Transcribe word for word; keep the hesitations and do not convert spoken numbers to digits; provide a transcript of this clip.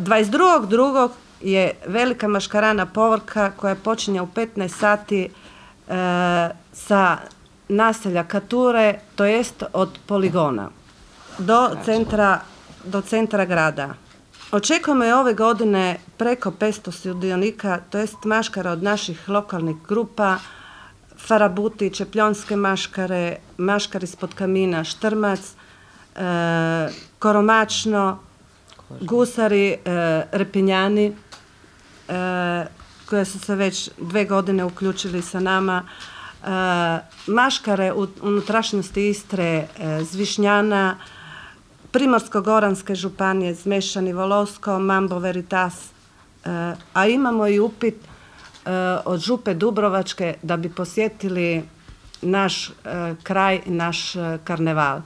dvadeset drugog drugog je velika maškarana povorka koja počinje u petnaest sati sa naselja Kature, to jest od poligona do centra, do centra grada. Očekujemo je ove godine preko petsto sudionika, to jest maškara od naših lokalnih grupa, Farabuti, Čepljonske maškare, maškar ispod kamina, Štrmac, e, Koromačno, Gusari, e, Repinjani, e, koje su se već dve godine uključili sa nama, e, maškare u unutrašnjosti Istre, e, Zvišnjana, Primorsko-goranske županije, Zmešani, Volosko, Mambo Veritas, e, a imamo i upit od Župe Dubrovačke da bi posjetili naš kraj i naš karneval.